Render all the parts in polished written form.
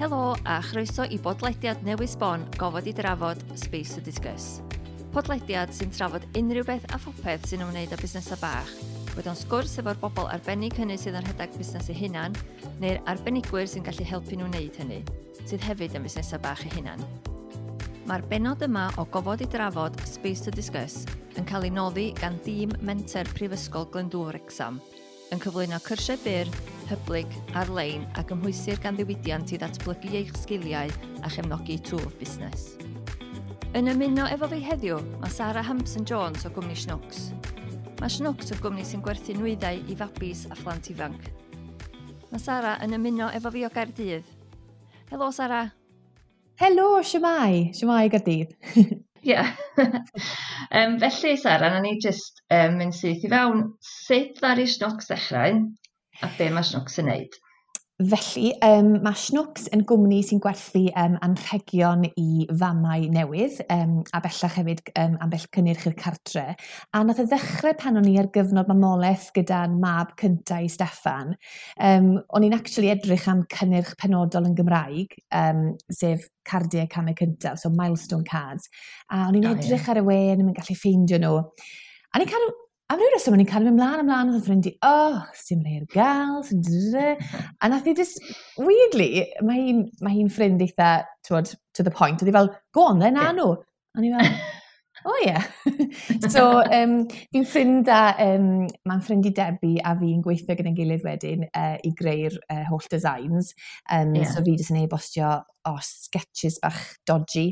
Helo a chroeso i bodlediad newydd sbon Gofod i Drafod Space to Discuss. Podlediad sy'n trafod unrhyw beth a phopeth sy'n ymwneud â busnesau bach, boed o'n sgwrs efo'r bobl arbennig hynny sydd yn rhedeg busnes eu hunan, neu'r arbenigwyr sy'n gallu helpu nhw wneud hynny, sydd hefyd yn busnesau bach eu hunan. Mae'r bennod yma o Gofod i Drafod Space to Discuss yn cael ei noddi gan dîm Menter Prifysgol Glyndŵr Wrecsam, yn cyflwyno cyrsiau byr, hyblyg, ar-lein a gymhwysir gan ddiwydiant i ddatblygu eich sgiliau a chefnogi twf busnes. Yn ymuno efo fi heddiw, mae Sara Hampson-Jones o gwmni Shnwcs. Mae Shnwcs yn gwmni sy'n gwerthu nwyddau i fabis a phlant ifanc. Mae Sara yn ymuno efo fi o Gaerdydd. Helo Sara! Helo, shwmae? Shwmae Gaerdydd? Ie. Felly Sara, na ni jyst mynd syth i fewn. Sut ddaru Shnwcs ddechrau a be mae Shnwcs yn neud? Felly, mae Shnwcs yn gwmni sy'n gwerthu anrhegion i famau newydd, a bellach hefyd ambell cynnyrch i'r cartre. A nath e ddechrau pan o'n i ar gyfnod mamolaeth gyda'n mab cynta i Steffan. O'n i'n actually edrych am cynnyrch penodol yn Gymraeg, sef cardiau camau cyntaf, so milestone cards. A o'n i'n edrych ar y we, o'n i'n gallu ffeindio nhw. A ni'n cael, am ryw reswm, o'n i'n cael mynd mlaen ymlaen oedd y ffrind i, oh, sy'n rhai ar gael, sy'n dda. A nath i just, weirdly, mae hi'n ffrind eitha, t'wod, to the point. Oedd hi fel, go on then, na nhw. A o'n i fel, oh yeah. So, fi'n ffrind a, mae'n ffrind i Debbie a fi'n gweithio gyda'n gilydd wedyn i greu'r holl designs. So fi jyst yn e-bostio o sketches bach dodgy.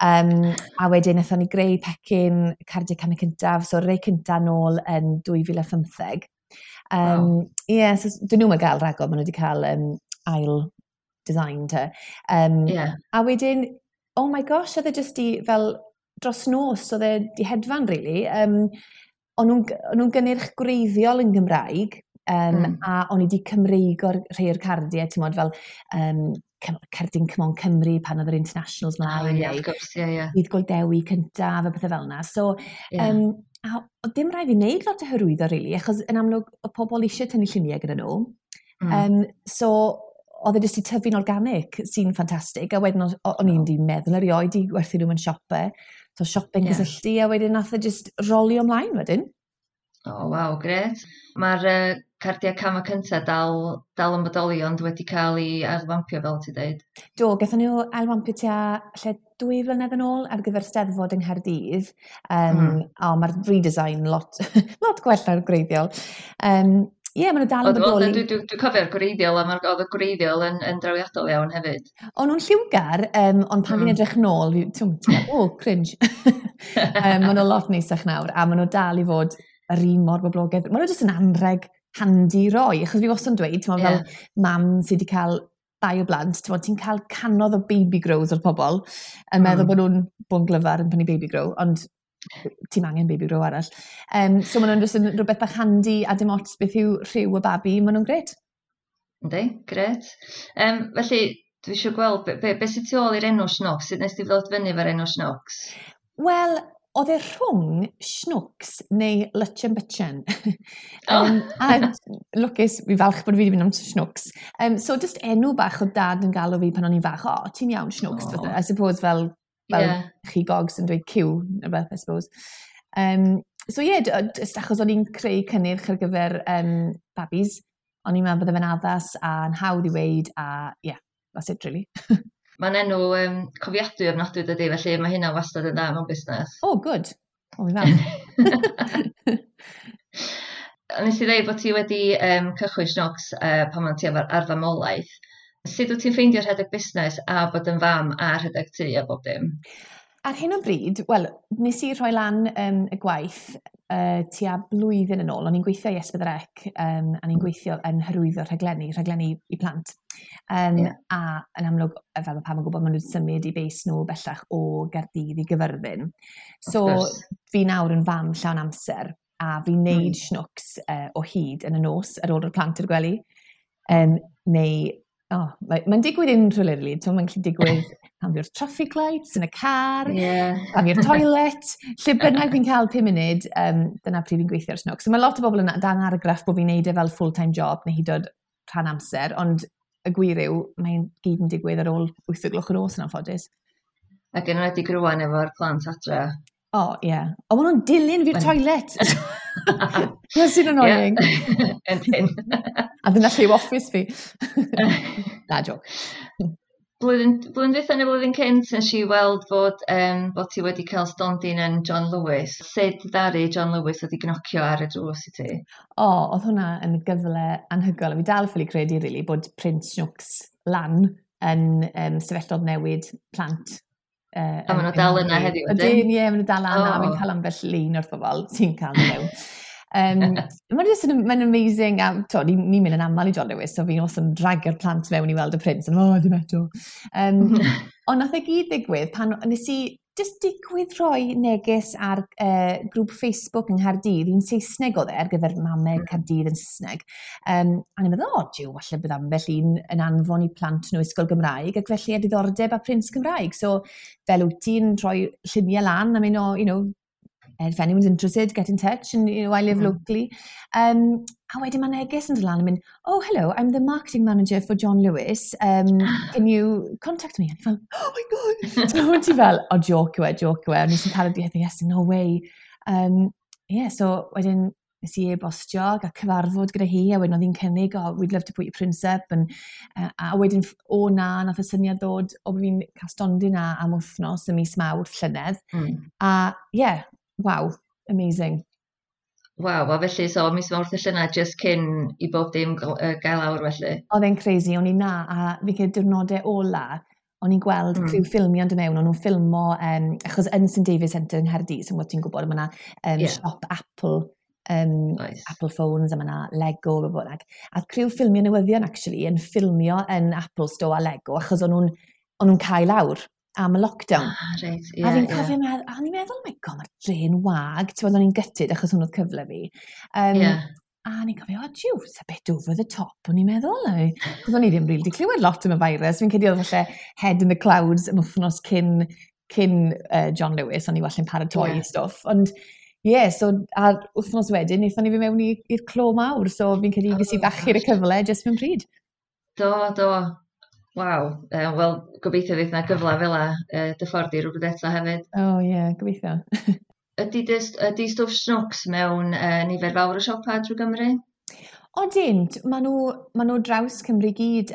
A wedyn wnaethon ni greu pecyn cardiau camau cyntaf, so rei cyntaf nôl yn 2015. Ie, so dyn nhw'n gael rhagor, maen nhw wedi cael ail design te. A wedyn, oh my gosh, oedd e jyst i fel dros nos, oedd e di hedfan, really. O'n nhw'n gynnyrch gwreiddiol yn Gymraeg, a o'n i wedi Cymreigo'r rhai o'r cardiau, ti'n modd fel cerdyn Come On Cymru pan oedd yr internationals mlaen, Oh, ie, neu wrth gwrs, ie, ie. Dydd Gŵyl Dewi cyntaf a pethau fel yna. So, a oedd dim rhaid fi wneud lot o hyrwyddo, really, achos yn amlwg oedd pobl eisiau tynnu lluniau gyda nhw. So, oedd e jyst i tyfu'n organic, sy'n ffantastig. A wedyn o'n i'n di meddwl erioed i gwerthu nhw mewn siopau. So siopau'n cysylltu, a wedyn nath e jyst rolio ymlaen wedyn. O, waw, grêt. Mae'r cardiau camau cyntaf dal yn bodoli, ond wedi cael ei ailwampio, fel ti dweud. Do, gaethon nhw ailwampio tua lle 2 flynedd yn ôl ar gyfer Steddfod yng Nghaerdydd. O, mae'r redesign lot gwell na'r gwreiddiol. Ie, maen nhw dal yn bodoli. Dwi'n cofio'r gwreiddiol, a oedd y gwreiddiol yn drawiadol iawn hefyd. O'n nhw'n lliwgar, ond pan fi'n edrych nôl, ti'n meddwl, oh, cringe. Maen nhw lot neisach nawr, a maen nhw dal i fod yr un mor boblogaidd. Maen nhw jyst yn anrheg handi roi, achos fi wastad yn dweud, ti'n meddwl, fel mam sydd wedi cael 2 o blant, ti'n meddwl, ti'n cael canodd o baby grows o'r pobl, yn meddwl bod nhw'n bod yn glyfar yn prynu baby grow, ond ti'n angen baby grow arall. So maen nhw'n jyst yn rhywbeth bach handi a dim ots beth yw rhyw y babi, maen nhw'n grêt. Yndi, grêt. Felly, dwi eisiau gweld, be sydd tu ôl i'r enw Shnwcs? Sut nes ti ddod fyny efo'r enw Shnwcs? Wel, oedd e rhwng Shnwcs neu Lutchen Butchen. A lwcus, fi falch bod fi wedi mynd am Shnwcs. So, just enw bach o dad yn galw fi pan o'n i'n fach, o, ti'n iawn Shnwcs. I suppose fel chi gogs yn dweud cyw, neu beth, I suppose. So ie, yeah, just achos o'n i'n creu cynnyrch ar gyfer babis, o'n i'n meddwl bydde fe'n addas a'n hawdd i weud, a yeah, that's it really. Mae'n enw cofiadwy ofnadwy dydy, felly mae hynna wastad yn dda mewn busnes. Oh, good. O, fi'n falch. A nes i ddeud bod ti wedi cychwyn Shnwcs pan o'n ti ar famolaeth. Sut wyt ti'n ffeindio rhedeg busnes a bod yn fam a rhedeg tŷ a bob dim? Ar hyn o bryd, wel, nes i rhoi lan y gwaith tua blwyddyn yn ôl. O'n i'n gweithio i S4C, a ni'n gweithio yn hyrwyddo rhaglenni i plant. A yn amlwg, fel mae pawb yn gwybod, maen nhw wedi symud i base nhw bellach o Gaerdydd i Gyfyrddin. So, fi nawr yn fam llawn amser, a fi'n neud Shnwcs o hyd yn y nos ar ôl y plant i'r gwely. Neu, oh, mae'n digwydd unrhyw le, really. Mae'n gallu digwydd pan fi o'r traffic lights yn y car, pan fi o'r toilet, lle bynnag fi'n cael 5 munud, dyna pryd fi'n gweithio ar Shnwcs. So mae lot o bobl yn dan argraff bod fi'n neud e fel full-time job neu hyd yn oed rhan amser, ond y gwir yw, mae'n gyd yn digwydd ar ôl 8 o gloch y nos yn anffodus. Ac yn enwedig rwan efo'r plant adre. O, oh, ie. Yeah. O, maen nhw'n dilyn fi'r toilet. Dyna sy'n annoying. Yndyn. A dyna lle yw office fi. Na, joke. Blwyddyn dwytha neu blwyddyn cynt nes i weld bod ti wedi cael stondin yn John Lewis. Sut ddaru John Lewis wedi gnocio ar y drws i ti? O, oedd hwnna yn gyfle anhygoel. A fi dal ffili credu, really, bod print Snwcs lan yn stafelloedd newid plant. A maen nhw dal yna heddiw, ydyn? Ydyn, ie, maen nhw dal yna. Oh. Fi'n cael ambell lun o'r bobl sy'n cael nhw mewn. Mae'n just mae'n amazing, a to, ni'n mynd yn aml i John Lewis, so fi'n also yn dragio'r plant mewn i weld y prints, and oh, dim eto. Ond nath e gyd ddigwydd pan nes i just digwydd rhoi neges ar grŵp Facebook yng Nghaerdydd, un Saesneg oedd e, ar gyfer mamau Caerdydd yn Saesneg. A ni'n meddwl, o, jiw, falle bydd ambell un yn anfon i plant nhw ysgol Gymraeg, ac felly a diddordeb a prints Cymraeg. So, fel wyt ti'n rhoi lluniau lan, I mean, oh, if anyone's interested, get in touch, and I live locally. A wedyn mae neges yn dod lan yn mynd, "Oh, hello, I'm the marketing manager for John Lewis. Can you contact me?" A fel, "Oh my God." So ti fel, "Oh, joke yw e, joke yw e." Ond nes i'n cael y diwedd, "Yes, no way." Yeah, so wedyn nes i e-bostio a cyfarfod gyda hi, a wedyn oedd hi'n cynnig, "Oh, we'd love to put your prints up." And, a wedyn, o na, nath y syniad ddod o fi'n cael stondin na am wythnos y mis Mawrth llynedd. A, yeah, wow, amazing. Waw, a felly, so mis Mawrth y llynedd, just cyn i bob dim gael awr felly. Oedd e'n crazy, o'n i na, a fi credu diwrnodau ola, o'n i'n gweld criw ffilmio yn dod mewn, o'n nhw'n ffilmo, achos yn St David Centre yng Nghaerdydd, sy'n gwybod ti'n gwybod, mae yna siop Apple, Apple phones, a mae yna Lego, a bynnag. A criw ffilmio newyddion, actually, yn ffilmio yn Apple Store a Lego, achos o'n nhw'n cael lawr am y lockdown. Ah, reit, a fi'n cofio meddwl, a o'n i'n meddwl, "Oh my God, mae'r dre'n wag." Ti'n gwbod, o'n i'n gutted achos hwn oedd cyfle fi. A o'n i'n cofio, "Oh, jiw, it's a bit over the top," o'n i'n meddwl. Achos o'n i ddim really 'di clywed lot am y virus. Fi'n credu oedd falle head in the clouds am wythnos cyn John Lewis, o'n i walle'n paratoi stwff. Ond, ie, yeah, so, a wythnos wedyn, wnaethon ni fi mewn i'r clo mawr, so fi'n credu ges i fachu'r y cyfle jyst mewn pryd. Do, do. Waw. Wel, gobeithio fydd 'na gyfle fel 'a dy ffordd i rywbryd eto hefyd. O, oh, ie, yeah, gobeithio. Ydy stwff Snwcs mewn nifer fawr o siopau drwy Gymru? Odyn, ma nhw draws Cymru gyd.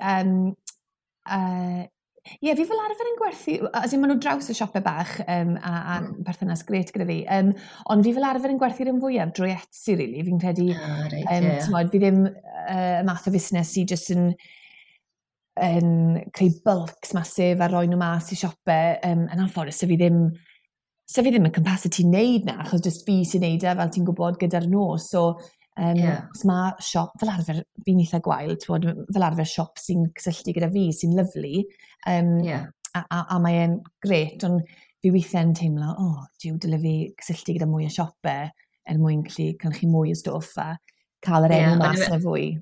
Ie, fi fel arfer yn gwerthu, as in, ma nhw draws y siopau bach a perthynas grêt gyda fi, ond fi fel arfer yn gwerthu'r un fwyaf drwy Etsy, really. Fi'n credu, Ah, reit, t'mod, fi ddim y math o fusnes sy jyst yn creu bulks massive a roi nhw mas i siopau. Yn anffodus, so fi ddim yn capacity wneud na, achos just fi sy'n neud e, fel ti'n gwybod, gyda'r nos. So, os mae siop, fel arfer, fi'n eitha gwael, t'mod, fel arfer siop sy'n cysylltu gyda fi, sy'n lyfli, a mae e'n grêt, ond fi weithiau'n teimlo, "Oh, jiw, dyle fi cysylltu gyda mwy o siopau er mwyn gallu cynhyrchu mwy o stwff a cael yr enw mas na fwy."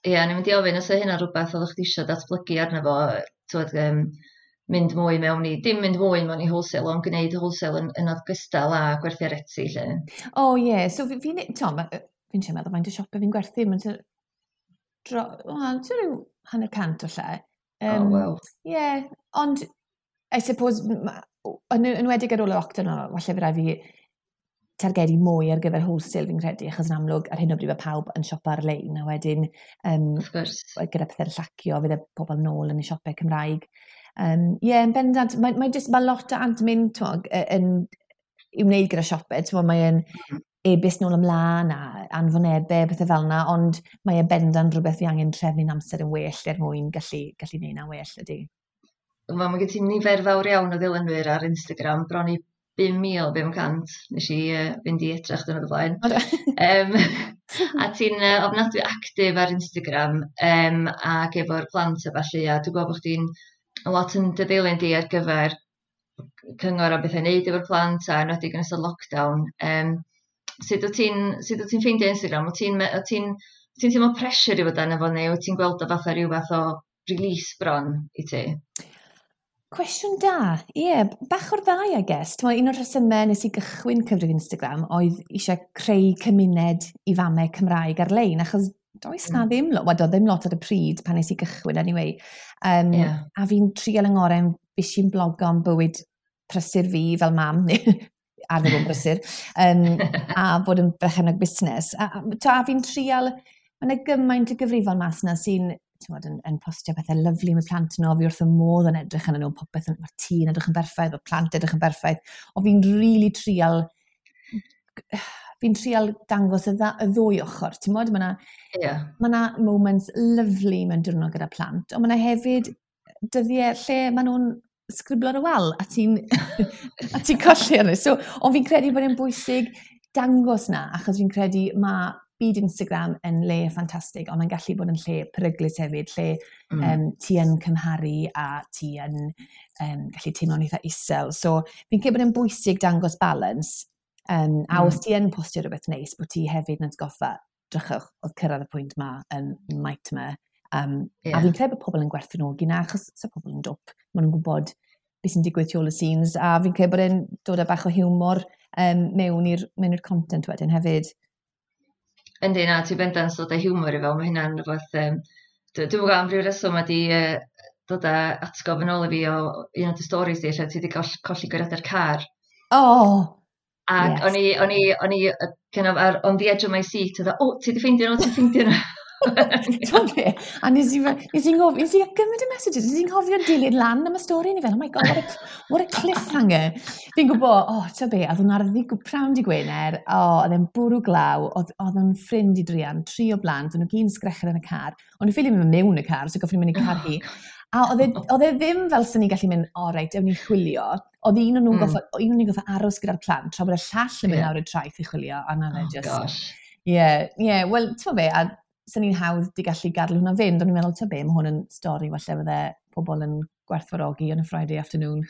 Ie, o'n i'n mynd i ofyn os oedd hynna rhywbeth oeddech chdi eisiau datblygu arno fo, t'wod, mynd mwy mewn i, dim mynd mwy mewn i wholesale, ond gwneud wholesale yn ogystal â gwerthu ar Etsy, lle. O ie, yeah. So fi, t'mo, fi'n siarad meddwl faint o siopau fi'n gwerthu, mae'n wel, tua ryw 50 o lle. O, waw. Ie, yeah, ond I suppose, yn enwedig ar ôl y lockdown, o, falle fe rai fi targedu mwy ar gyfer wholesale fi'n credu, achos yn amlwg ar hyn o bryd mae pawb yn siopa ar-lein, a wedyn Wrth gwrs. gyda pethau'n llacio, fydd y pobl nôl yn y siopau Cymraeg. Ie, yeah, yn bendant, mae lot o admin, t'mod, yn i wneud gyda siopau, t'mod, mae'n e-byst nôl ymlaen a anfonebau, pethau fel yna, ond mae e bendant rhywbeth fi angen trefnu'n amser yn well er mwyn gallu neud na'n well, ydy. Wel, mae gen ti nifer fawr iawn o ddilynwyr ar Instagram, bron i 5,500, nes i fynd i edrych dyn o blaen. O, do. A ti'n ofnadwy actif ar Instagram, ac efo'r plant a ballu, a dwi'n gwybod bod chdi'n lot yn dy ddilyn di ar gyfer cyngor am bethau wneud efo'r plant, a enwedig yn ystod lockdown. Sut wyt ti'n ffeindio Instagram? Wyt ti'n teimlo pressure i fod arno fo, neu wyt ti'n gweld o fatha rhyw fath o release bron i ti? Cwestiwn da. Ie, yeah, bach o'r ddau, I guess. T'mo, un o'r rhesymau nes i gychwyn cyfrif Instagram oedd eisiau creu cymuned i famau Cymraeg ar-lein, achos Does na ddim lot, wel, doedd ddim lot ar y pryd pan nes i gychwyn anyway. A fi'n trial yng ngorau, fues i'n blogo am bywyd prysur fi fel mam, arfer bod yn brysur, a bod yn berchennog busnes. A fi'n trial, mae yna gymaint o gyfrifon mas yna sy'n, ti'n yn postio pethau lyfli am y plant nhw, fi wrth y modd yn edrych arnyn nhw, popeth, mae'r tŷ yn edrych yn berffaith, mae'r plant edrych yn berffaith, ond fi'n trial dangos y ddwy ochr, ti'n modd, mae yna ma 'na moments lyfli mewn diwrnod gyda plant, ond mae yna hefyd dyddiau lle maen nhw'n sgriblo ar y wal a ti'n colli arno. So, ond fi'n credu bod e'n bwysig dangos na, achos fi'n credu mae byd Instagram yn le ffantastig, ond mae'n gallu bod yn lle peryglus hefyd, lle ti yn cymharu a ti yn gallu teimlo'n eitha isel. So fi'n credu bod e'n bwysig dangos balance, a os ti yn postio rhywbeth neis, bod ti hefyd yn atgoffa, drychwch, oedd cyrraedd y pwynt ma yn nightmare. A fi'n credu bod pobl yn gwerthfawrogi na, achos sa pobl yn dwp, maen nhw'n gwybod beth sy'n digwydd tu ôl y scenes, a fi'n credu bod e'n dod â bach o hiwmor mewn i'r content wedyn hefyd. Yndi, na, ti bendant dod â hiwmor i fel, mae hynna'n rhywbeth. Dwi'n gwybod am ryw reswm wedi dod â atgof yn ôl i fi o un o'r stories di, lle ti wedi colli guriadau'r car. Oh! Ac o'n i kind of ar, on the edge of my seat, oedd, "Oh, ti wedi ffeindio nhw, ti wedi ffeindio nhw." Ti'n be? A nes i gymaint o messages, nes i'n cofio dilyn lan am y stori, ni fel, "Oh my God, what a cliffhanger." Fi'n gwybod, oh, ti'n be, oedd hwnna'r prawn di Gwener, oh, oedd e'n bwrw glaw, oedd o'n ffrind i druan, tri o blant, o'n nhw gyd yn sgrechian yn y car, ond nhw'n ffili mynd mewn y car, so goffon nhw mynd i car hi. A oedd e ddim fel sy'n ni'n gallu mynd, "O oh, reit, ewn ni chwilio." Oedd un o'n nhw'n un o'n nhw'n goffo aros gyda'r plant, tra bod y llall yn mynd lawr y traeth i chwilio, a na fe oh, just. Gosh. Ie, wel, ti'n be, a sy'n ni'n hawdd di gallu gadael hwnna fynd, ond i'n meddwl, ti'n be, mae hwn yn stori falle fydde pobl yn gwerthfawrogi on a Friday afternoon.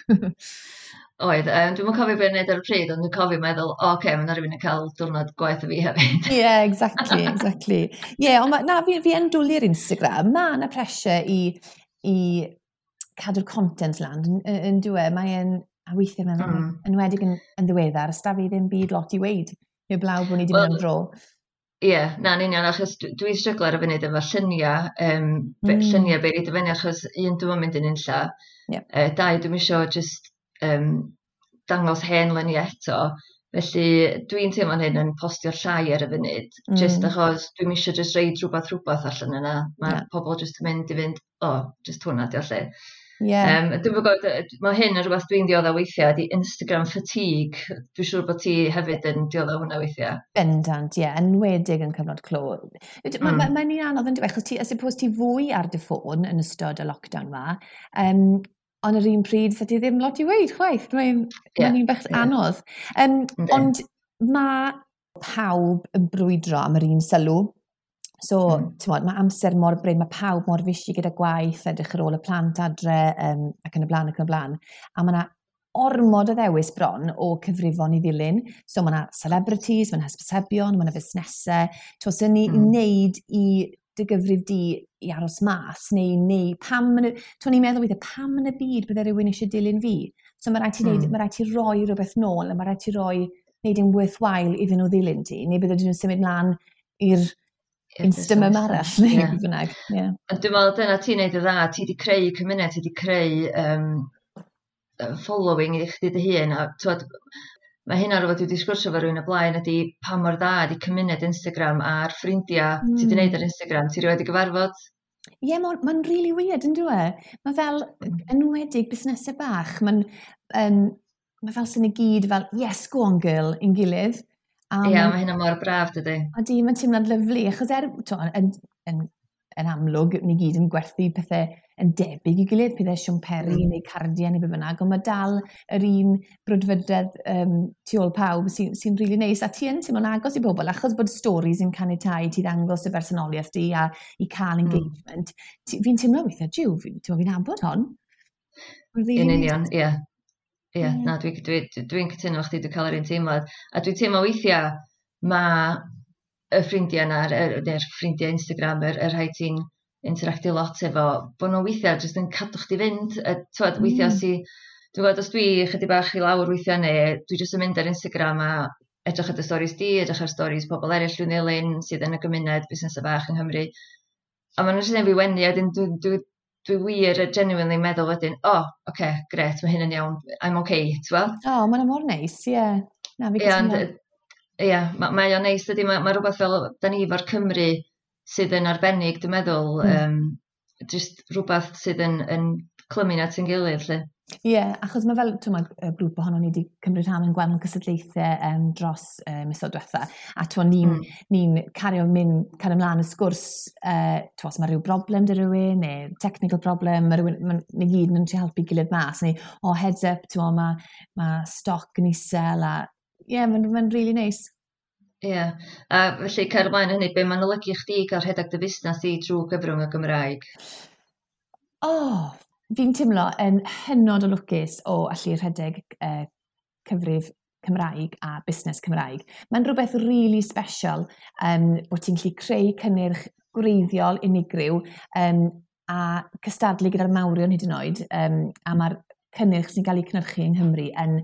Oedd, dwi'n cofio beth wneud ar y pryd, ond dwi'n cofio meddwl, "O, oce, okay, mae yna rhywun yn cael diwrnod gwaith o fi hefyd." Ie, yeah, exactly. Ie, yeah, ond ma, na, fi yn dwlu'r Instagram. Mae yna pressure i cadw'r content lan, yn dyw e. Mae'n, a weithiau meddwl, enwedig yn ddiweddar, ys da fi ddim byd lot i weud. Heblaw bod ni wedi mynd am dro. Ie, yeah, na, yn union, achos dwi'n stryglo ar y funud efo lluniau, lluniau be i fyny, achos un, dwi'n mynd yn unlla. Dau, dwi'n isio just dangos hen luniau eto. Felly dwi'n teimlo'n hyn yn postio llai ar y funud, just achos dwi'n isio just reid rhywbeth allan yna. Mae pobl just yn mynd i fynd, "O, oh, just hwnna di o lle." Dwi'n gwybod, mae hyn yn rhywbeth dwi'n dioddef weithiau, ydy Instagram fatigue. Dwi'n siŵr bod ti hefyd yn dioddef hwnna weithiau. Bendant, ie, yeah, enwedig yn cyfnod clo. Mae'n ma, ma un anodd yn dweud, achos ti, I suppose ti fwy ar dy ffôn yn ystod y lockdown ma, ond yr un pryd, sa ti ddim lot i weud chwaith. Mae'n ma un bach anodd. Ond mae pawb yn brwydro am yr un sylw. So, ti'n mae amser mor brin, mae pawb mor busy gyda gwaith, edrych ar ôl y plant adre, ac yn y blaen, ac yn y blaen. A mae yna ormod o ddewis bron o cyfrifon i ddilyn. So mae yna celebrities, mae yna hysbysebion, mae yna fusnesau. Ti'n sy'n ni wneud i dy gyfrif di i aros mas, neu pam, yn y, ti'n ni'n meddwl weithiau, pam yn y byd bydde rhywun eisiau dilyn fi? So mae rhaid ti wneud, mae rhaid ti roi rhywbeth nôl, a mae rhaid ti roi, wneud yn worthwhile iddyn nhw ddilyn ti, neu bydde nhw'n symud mlaen i'r Instamum arall, neu beth bynnag. Yeah. Ond dwi'n meddwl dyna ti'n neud y dda, ti wedi creu cymuned, ti wedi creu following i chdi dy hun, a t'wod, mae hynna rhywbeth dwi wedi sgwrsio efo rhywun o blaen ydy pa mor dda ydy cymuned Instagram a'r ffrindiau ti wedi wneud ar Instagram, ti rioed 'di gyfarfod? Ie, yeah, mae'n ma really weird, yn dwi? Mae fel, enwedig busnesau bach, mae'n ma fel sy'n i gyd fel, "Yes, go on girl," i'n gilydd. Ie, yeah, mae hynna mor braf, dydy. A di, mae'n teimlad lyfli, achos er, to, yn amlwg, ni gyd yn gwerthu pethau yn debyg i gilydd, pethau siwmperi neu cardiau neu be bynnag, ond mae dal yr un brwdfrydedd tu ôl pawb sy'n sy really neis. A ti yn teimlo'n agos i bobl, achos bod stories yn caniatáu ti ddangos y bersonoliaeth di a i cael engagement. Fi'n teimlo weithiau, jiw, fi'n fi nabod hon. Mae'n really Yn union, ie. Ie, na, dwi'n dwi, dwi, dwi cytuno efo chdi, dwi'n cael yr un teimlad. A dwi'n teimlo weithiau, mae y ffrindiau yna, neu'r ffrindiau Instagram, y rhai ti'n interactio lot efo, bod nhw weithiau jyst yn cadw chdi fynd. T'wod, weithiau si, dwi'n gwybod os dwi chydig bach i lawr weithiau neu dwi jyst yn mynd ar Instagram a Edrych ar dy storis di, edrych ar storis pobl eraill dwi'n ddilyn sydd yn y gymuned busnesau bach yng Nghymru. A maen nhw'n jyst yn fi wenu, a wedyn dwi wir genuinely meddwl wedyn, "O, oh, oce, okay, grêt, mae hyn yn iawn, I'm okay," ti'n gweld? O, oh, mae'n mor neis, ie. Yeah. Na, fi cytuno. Ie, mae o'n neis, dydy, mae rhywbeth fel, da ni efo'r Cymru sydd yn arbennig, dwi'n meddwl, just rhywbeth sydd yn clymu at ein gilydd, lle. Ie, yeah, achos mae fel, ti'n y grŵp ohono ni wedi cymryd rhan yn gwahanol cystadlaethau dros misoedd diwetha. A ti'n ni'n ni cario mynd, cario ymlaen y sgwrs, ti'n os mae rhyw broblem 'da rhywun, neu technical problem, mae rhywun, ma, ni gyd yn trio helpu gilydd mas. Neu, "Oh, heads up, ti'n mae stoc yn isel," a ie, yeah, mae'n really nice. Ie, yeah. A felly cael ymlaen hynny, be mae'n olygu chdi gael rhedeg dy fusnes i drwy gyfrwng y Gymraeg? Oh, fi'n teimlo yn hynod o lwcus o allu rhedeg cyfrif Cymraeg a busnes Cymraeg. Mae'n rhywbeth really special bod ti'n gallu creu cynnyrch gwreiddiol, unigryw, a cystadlu gyda'r mawrion hyd yn oed, a mae'r cynnyrch sy'n cael ei cynhyrchu yng Nghymru yn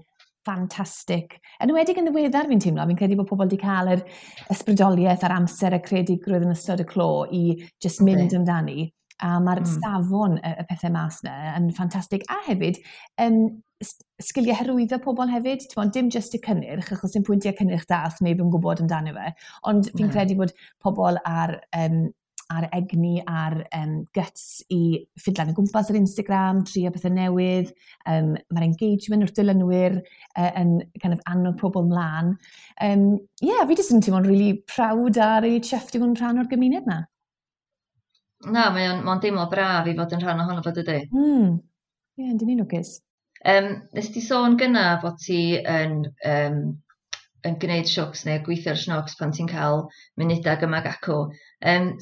ffantastig. Yn enwedig yn ddiweddar fi'n teimlo, fi'n credu bod pobl wedi cael yr ysbrydoliaeth a'r amser y creadigrwydd yn ystod y clo i just mynd amdani. A mae'r safon y pethau mas yna yn ffantastig. A hefyd, sgiliau hyrwyddo pobl hefyd. T'mod, dim just y cynnyrch, achos dim pwyntiau cynnyrch da os neb yn gwybod amdano fe. Ond fi'n credu bod pobl ar egni, ar guts i ffidlan o gwmpas ar Instagram, trio pethau newydd. Mae'r engagement wrth dilynwyr yn kind of annog pobl mlaen. Yeah, fi jyst yn teimlo'n really proud a really chuffed i fod yn rhan o'r gymuned na. Na, mae o'n mae deimlo braf i fod yn rhan ohono fo, dydy? Ie, yeah, dyn ni'n lwcus. Nes ti sôn gynna fod ti yn gwneud Shnwcs neu gweithio ar Shnwcs pan ti'n cael munudau yma ac acw.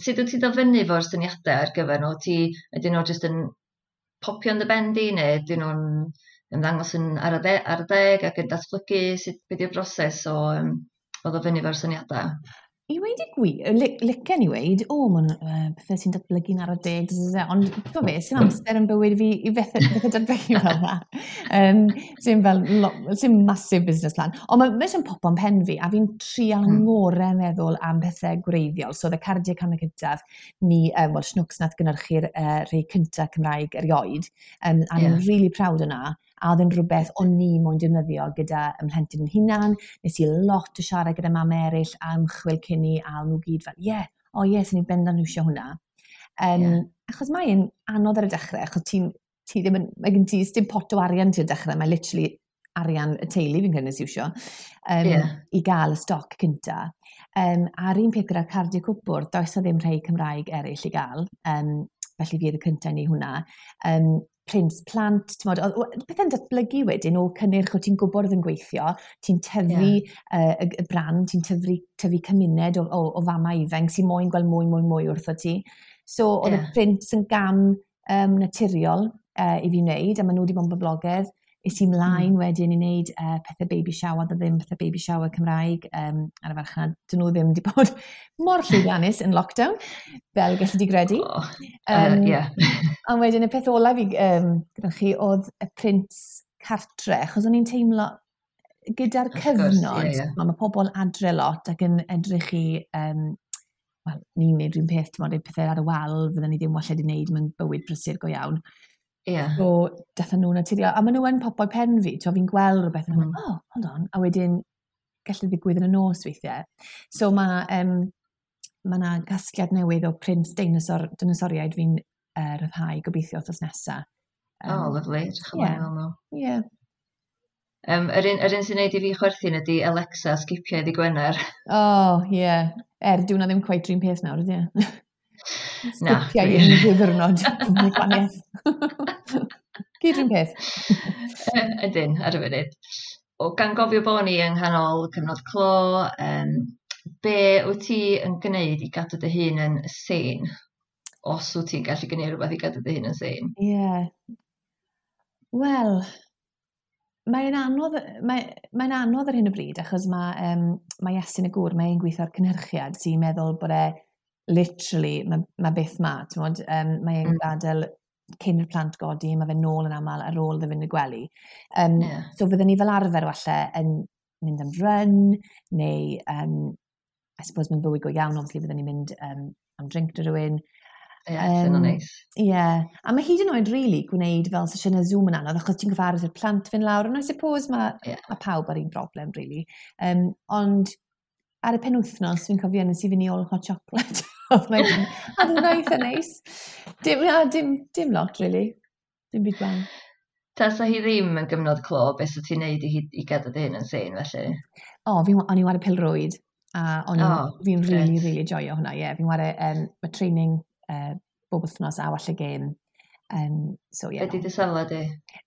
Sut wyt ti'n dod fyny fo'r syniadau ar gyfer nhw? Ydyn nhw jyst yn popio yn dy ben di neu ydyn nhw'n ymddangos yn ar y deg ac yn datblygu? Sut, beth yw'r broses o ddod fyny fo'r syniadau? I weud y gwir, licen i weud, o, mae'n pethau sy'n datblygu'n ar y deg, ond ti'n fe, sy'n amser yn bywyd fi i bethau datblygu fel yna. Sy'n fel, sy'n massive business plan. Ond mae sy'n popo'n pen fi, a fi'n trial ngorau meddwl am pethau gwreiddiol. So, y cardiau camau cyntaf, ni, wel, Shnwcs nath gynhyrchu'r rhai cyntaf Cymraeg erioed, a ni'n really proud yna, a oedd yn rhywbeth o'n ni moyn defnyddio gyda ymhlentyn yn hunan. Nes i lot o siarad gyda mam eraill a ymchwil cyn i, a nhw gyd fel, "Ie, yeah, o ie, sy'n ni'n bendant iwsio hwnna." Achos mae'n anodd ar y dechrau, achos ti ddim yn, mae gen ti, dim pot o arian ti'n dechrau, mae literally arian y teulu fi'n credu nes iwsio i gael y stoc cynta. A'r un peth gyda'r cardiau cwpwrdd, does o ddim rhai Cymraeg eraill i gael, felly fi oedd y cyntaf i hwnna. Prints plant, t'mod, oedd pethau'n datblygu wedyn o cynnyrch o ti'n gwybod oedd yn gweithio, ti'n tyfu y brand, ti'n tyfu cymuned o famau ifanc sy'n moyn gweld mwy, mwy, mwy wrtho ti. So oedd y prints yn gam naturiol i fi wneud, a maen nhw wedi bod yn boblogaidd. Es i mlaen wedyn i wneud pethau baby shower, oedd ddim pethau baby shower Cymraeg ar y farchnad. Dyn nhw ddim wedi bod mor llwyddiannus yn lockdown, fel gallu di gredu. Oh, yeah. Ond wedyn y peth olaf i gyda chi oedd y prints cartre, achos o'n i'n teimlo gyda'r cyfnod, yeah, yeah. mae pobl adre lot ac yn edrych i, wel, ni'n neud rhywun peth, ti'n modd, pethau ar y wal, fydden ni ddim walle wedi wneud mewn bywyd prysur go iawn. So, dathon nhw'n naturiol. A maen nhw yn popo pen fi, ti'n fi'n gweld rhywbeth, yn "Oh, hold on," a wedyn gallu ddigwydd yn y nos weithiau. So mae yna gasgliad newydd o prints deinosoriaid fi'n rhyddhau gobeithio wythnos nesaf. Oh, lovely. Edrych ymlaen i nhw. Ie. Yeah. Yr un sy'n neud i fi chwerthin ydy "Alexa, sgipio i ddydd Gwener." Oh, ie. Yeah. Er, dyw hwnna ddim quite yr un peth nawr, ydy e? Na. Sgipio i unrhyw ddiwrnod. Mae'n gwahaniaeth. Gyd un peth. Ydyn, ar y funud. O, gan gofio bod ni yng nghanol cyfnod clo, be wyt ti yn gwneud i gadw dy hun yn sane? Os wyt ti'n gallu gwneud rhywbeth i gadw dy hun yn sane? Ie. Yeah. Wel, mae'n anodd, mae'n anodd ar hyn o bryd, achos mae Iestyn y gŵr, mae'n gweithio ar cynhyrchiad sy'n meddwl bod e literally, mae byth ma, ti'n modd, mae'n gadael cyn i'r plant godi, mae fe nôl yn aml ar ôl iddo fynd i gwely. So fydden ni fel arfer falle yn mynd am run, neu, I suppose mewn bywyd go iawn, obviously byddwn ni'n mynd am drink 'da rhywun. Ie, yeah, um, neis. Ie, yeah. A mae hyd yn oed really gwneud fel sesiynau Zoom yn anodd, achos ti'n gyfarwydd i'r plant fynd lawr, and I suppose mae ma pawb ar un broblem, really. Ond ar y penwythnos, fi'n cofio nes i fynd i ôl hot chocolate. Oedd hwnna eitha neis. Dim, na, dim lot, really. Dim byd gwael. Tasa hi ddim yn gyfnod clo, beth sy'n ti'n neud i gadw dy hun yn sane, felly? O, oh, o'n i'n ware pêl-rwyd. A o'n oh, fi'n really, really joio hwnna, ie. Yeah. Fi'n ware, mae training bob wythnos a falle gêm. So, yeah. Be di dy safle di?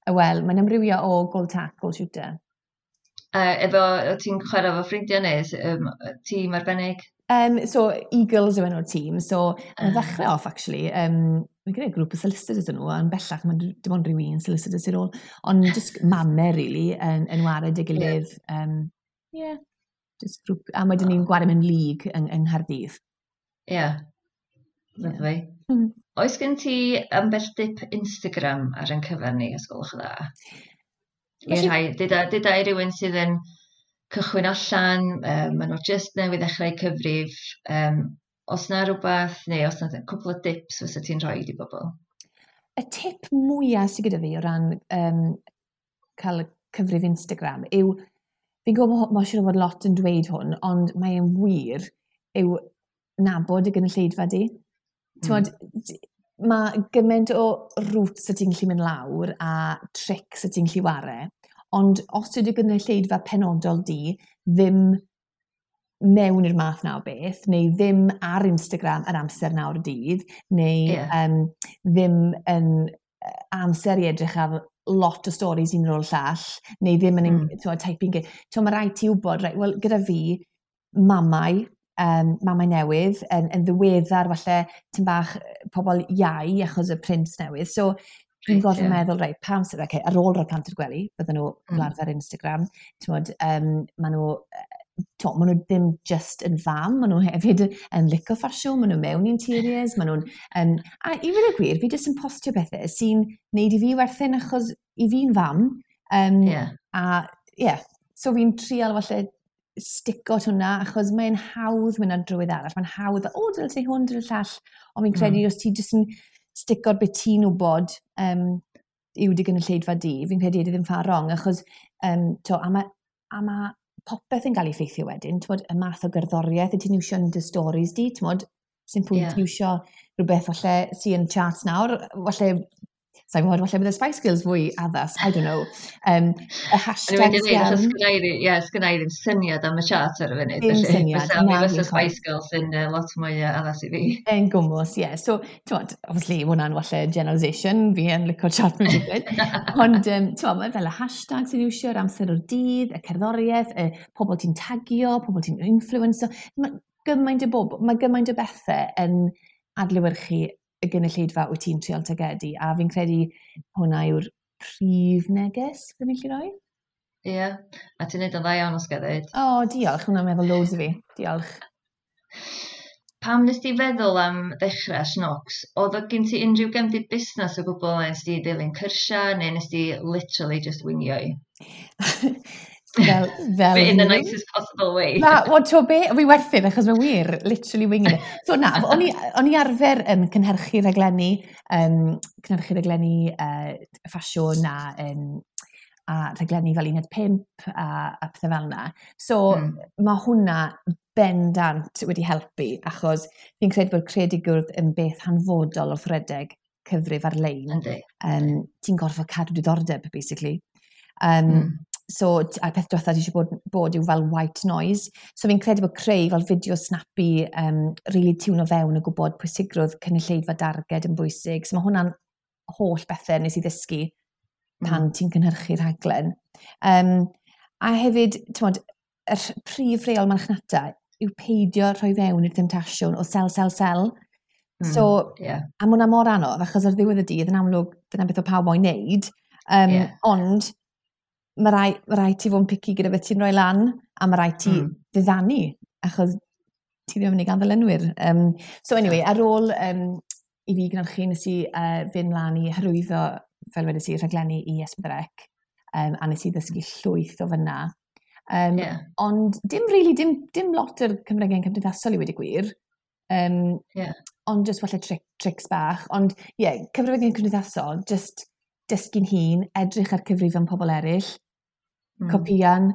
Wel, mae'n amrywio o goal tack, goal shooter. Efo, ti'n chwarae efo ffrindiau neu tîm arbennig? So, Eagles yw enw'r tîm. So, yn ddechrau off, actually, mae'n gyda grŵp o solicitors yn nhw, ond bellach mae'n dim ond rhyw un solicitor sy'n ôl. Ond just mame, really, yn ware dy gilydd. Yeah. Yeah, just grŵp. A wedyn ni'n gwario mewn league yng Nghaerdydd. Ie, yeah. Lovely. Yeah. Oes gen ti ambell dip Instagram ar ein cyfer ni, os gwelwch yn dda? I rhai, dyda i rywun sydd yn cychwyn allan, maen nhw jyst newydd ddechrau cyfrif, os na rhywbeth, neu os na cwpl o dips fysa ti'n rhoi i bobl? Y tip mwyaf sydd gyda fi o ran cael cyfrif Instagram yw, fi'n gwybod mae siŵr o fod lot yn dweud hwn, ond mae'n wir, yw nabod y gynulleidfa di. T'mod, mae gymaint o routes y ti'n gallu mynd lawr a tricks y ti'n gallu ware, ond os ydy gynulleidfa penodol di ddim mewn i'r math na o beth, neu ddim ar Instagram yr amser nawr y dydd, neu ddim yn amser i edrych ar lot o stories un ar ôl llall, neu ddim yn typing. T'mo, mae rhaid ti wybod, right, wel, gyda fi, mamau newydd, yn ddiweddar falle tipyn bach pobl iau achos y prints newydd. So dwi'n gorfod meddwl, reit, pa amser, okay, ar ôl rhoi plant i'r gwely, bydden nhw fel arfer Instagram, t'mod, ma' nhw ddim just yn fam, maen nhw hefyd yn licio ffasiwn, maen nhw mewn interiors, maen nhw'n... A i fod y gwir, fi jyst yn postio pethau sy'n neud i fi werthin achos i fi'n fam. A ie, yeah, so fi'n trial falle stico at hwnna, achos mae'n hawdd mynd ar drywydd arall. Mae'n hawdd, o, dyle ti hwn, dyle llall. Ond fi'n credu os ti jyst yn stico'r beth ti'n wybod yw dy gynulleidfa di, fi'n credu ydy ddim far wrong, achos to, a ma popeth yn cael ei ffeithio wedyn, t'mod, y math o gerddoriaeth y ti'n iwsio yn dy stories di, t'mod, sy'n pwynt iwsio rhywbeth falle sy'n charts nawr, falle, sa'n gwybod, falle bydd y Spice Girls fwy addas, I don't know. Y hashtags iawn. Ie, sgynna i ddim syniad am y chart ar y funud. Ddim syniad. Fysa, mi fysa Spice Girls yn lot mwy addas i fi. Yn gwmws, ie. Yeah. So, t'mod, obviously, hwnna'n falle generalisation, fi yn licio chart music. Ond, t'mod, mae fel y hashtag sy'n iwsio'r amser o'r dydd, y cerddoriaeth, y pobl ti'n tagio, pobl ti'n influencer. Mae gymaint o bethau yn adlewyrchu y gynulleidfa wyt ti'n trial targedu, a fi'n credu hwnna yw'r prif neges fyddwn ni'n gallu rhoi. Ie, yeah, a ti'n neud yn dda iawn os ga i ddeud. O, oh, diolch, hwnna'n meddwl loads i fi. Diolch. Pam nes ti feddwl am ddechrau Shnooks? Oedd o gen ti unrhyw gefndir busnes o gwbl, neu nes ti dilyn cyrsiau, neu nes ti literally just wingio i? Fel In the nicest possible way. Na, wel, to be, fi werthin, achos mae wir, literally winging it. So na, o'n i arfer cynhyrchu rhaglenni ffasiwn a rhaglenni fel Uned 5 a pethau fel yna. So mae hwnna bendant wedi helpu, achos fi'n credu bod creadigrwydd yn beth hanfodol wrth redeg cyfrif ar-lein. Ti'n gorfod cadw diddordeb, basically. So, a peth diwetha ti eisiau bod yw fel white noise. So fi'n credu bod creu fel fideo snappy, really tiwno fewn a gwybod pwysigrwydd cynulleidfa darged yn bwysig. So mae hwnna'n holl bethau nes i ddysgu pan ti'n cynhyrchu rhaglen. A hefyd, t'mod, yr prif reol marchnata yw peidio rhoi fewn i'r temtasiwn o sell, sell, sell. So, a ma' hwnna mor anodd, achos ar ddiwedd y dydd, yn amlwg, dyna beth o pawb moyn neud. Ond mae rhaid ti fod yn picky gyda beth ti'n rhoi lan, a mae rhaid ti ddiddanu, achos ti ddim yn mynd i gael ddilynwyr. So anyway, ar ôl i fi gynhyrchu, nes i fynd mlaen i hyrwyddo, fel wedes i, rhaglenni i S4C, a nes i ddysgu llwyth o fyna. Ond dim really, dim lot o'r cyfryngau cymdeithasol i wedi gwir. Ond just falle tricks bach. Ond ie, yeah, cyfryngau cymdeithasol, just dysgu'n hun, edrych ar cyfrifon pobl eraill, copian.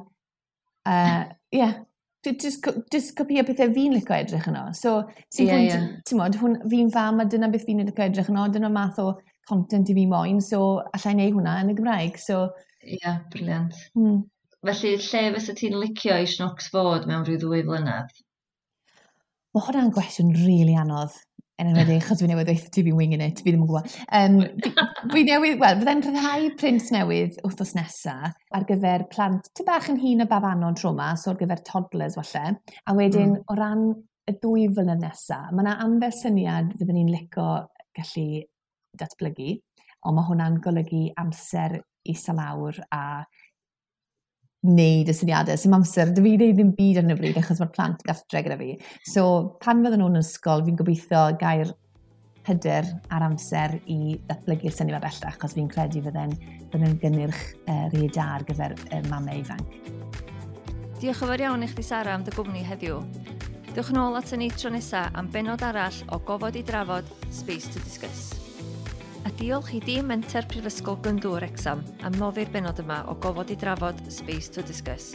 Yeah, just copio pethau fi'n licio edrych yno. So, ti'n yeah, hwn, fi'n fam a dyna beth fi'n licio edrych yno, dyna math o content i fi moyn, so allai neud hwnna yn y Gymraeg. So, Ie, yeah, brilliant. Felly, lle fysa ti'n licio i Shnwcs fod mewn rhyw 2 flynedd? Mae hwnna'n gwestiwn rili really anodd, yn enwedig achos fi newydd dweud ti fi'n winging it, fi ddim yn gwybod. Fi newydd, wel, fydde'n rhyddhau print newydd wythnos nesa ar gyfer plant ty bach yn hŷn y babanod tro 'ma, so ar gyfer toddlers falle. A wedyn, o ran y 2 flynedd nesa, mae yna ambell syniad fydden ni'n licio gallu datblygu, ond mae hwnna'n golygu amser i lawr a wneud y syniadau. Sy'n amser, dy fi wneud ddim byd ar hyn o bryd achos mae'r plant gartre gyda fi. So pan fydden nhw'n ysgol, fi'n gobeithio gael hyder a'r amser i ddatblygu'r syniad bellach, achos fi'n credu fydden gynnyrch rhy da ar gyfer mamau ifanc. Diolch yn fawr iawn i chdi, Sara, am dy gwmni heddiw. Dewch yn ôl at ni tro nesaf am benod arall o Gofod i Drafod, Space to Discuss. A diolch i dîm Menter Prifysgol Glyndŵr Wrecsam am noddi'r benod yma o Gofod i Drafod, Space to Discuss,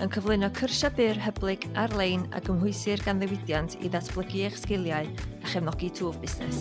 yn cyflwyno cyrsiau byr hyblyg ar-lein a gymhwysir gan ddiwydiant i ddatblygu eich sgiliau a chefnogi twf busnes.